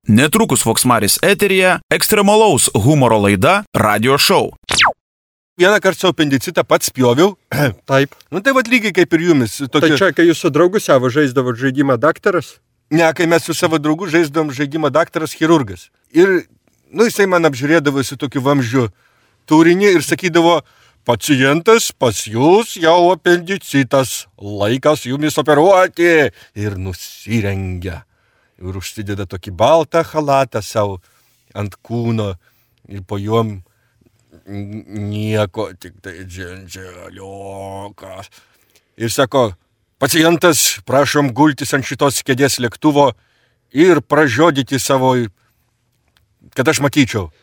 Netrukus Voksmaris eteryje ekstremalaus humoro laida Radio Show. Vieną kartą savo apendicitą pats spjoviau. Taip. Nu tai vat lygiai kaip ir jumis. Tai čia, kai jūs su draugu savo žaisdavot žaidimą daktaras? Ne, kai mes su savo draugu žaisdavom žaidimą daktaras chirurgas. Ir, jisai man apžiūrėdavo su tokiu vamzdžiu turinį ir sakydavo, pacientas pas jūs jau apendicitas, laikas jumis operuoti. Ir nusirengia. Ir užsideda tokį baltą chalatą savo ant kūno ir po juom nieko, tik tai dženželiokas. Ir sako, pacientas, prašom gultis ant šitos kėdės lėktuvo ir pražiodyti savo, kad aš matyčiau.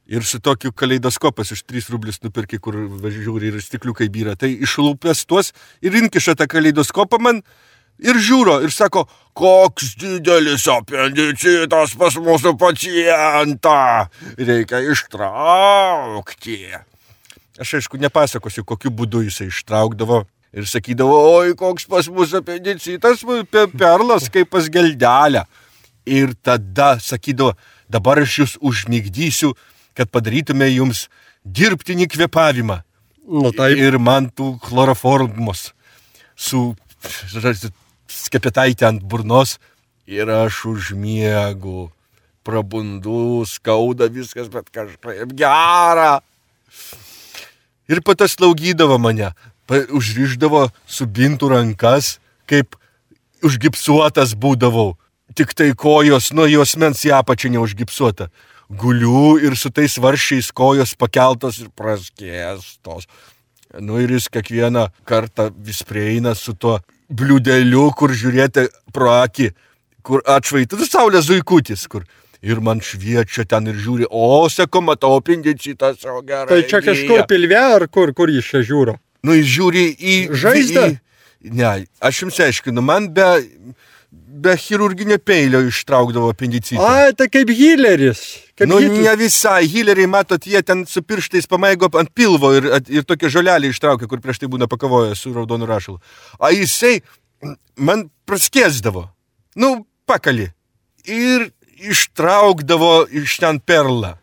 Ir su tokiu kaleidoskopas iš 3 rublius nupirki, kur žiūri ir stikliukai byra. Tai išlūpęs tuos ir inkiša tą kaleidoskopą man ir žiūro ir sako, koks didelis apendicitas pas mūsų pacientą, reikia ištraukti. Aš aišku nepasakosiu, kokiu būdu jisai ištraukdavo ir sakydavo, oi, koks pas mūsų apendicitas, perlas kaip pas geldelę. Ir tada sakydavo, dabar aš jūs užmigdysiu, kad padarytume jums dirbtinį kvėpavimą. Nu, taip. Ir man tų chloroformos su skepetaitė ant burnos ir aš užmiegu, prabundu, skauda viskas, bet kažkaip gera. Ir po to slaugydavo mane, užrišdavo su bintų rankas, kaip užgipsuotas būdavau, tik tai kojos nuo jos mens į apačią neužgipsuota. Guliu ir su tais varščiais kojos pakeltos ir praskėstos. Ir jis kiekvieną kartą vis prieina su tuo bliūdeliu, kur žiūrėti pro akį, kur atšvaitų saulės zuikutis, kur ir man šviečia ten ir žiūri, sako, matau apendicitą savo gerai. Tai čia kažkur pilve ar kur jis čia žiūro? Jis žiūri į žaizdą? Ne, aš jums aiškinu, man be chirurginio peilio ištraukdavo apendicitą. Tai kaip Hitleris. Ne visai. Hitleriai, matot, jie ten su pirštais pamaigo ant pilvo ir tokie žolelį ištraukia, kur prieš tai būna pakavoję su raudonu rašalu. O jisai man praskėsdavo. Pakali. Ir ištraukdavo iš ten perlą.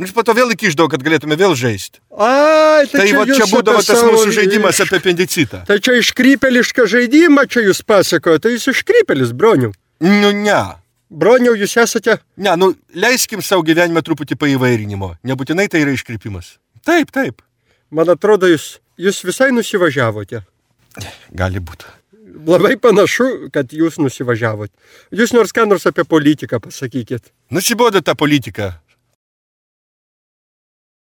Ir po to vėl įkišdavo, kad galėtume vėl žaisti. Tai čia būdavo tas mūsų žaidimas apie apendicitą. Tai čia iškrypelišką žaidimą čia jūs pasakojo, tai jūs iškrypelis, Broniau. Ne. Broniau, jūs esate? Ne, leiskim savo gyvenimą truputį paįvairinimo. Nebūtinai tai yra iškrypimas. Taip. Man atrodo, jūs visai nusivažiavote. Gali būti. Labai panašu, kad jūs nusivažiavote. Jūs nors ką nors apie politiką pasakykit. Nusibodo tą politiką.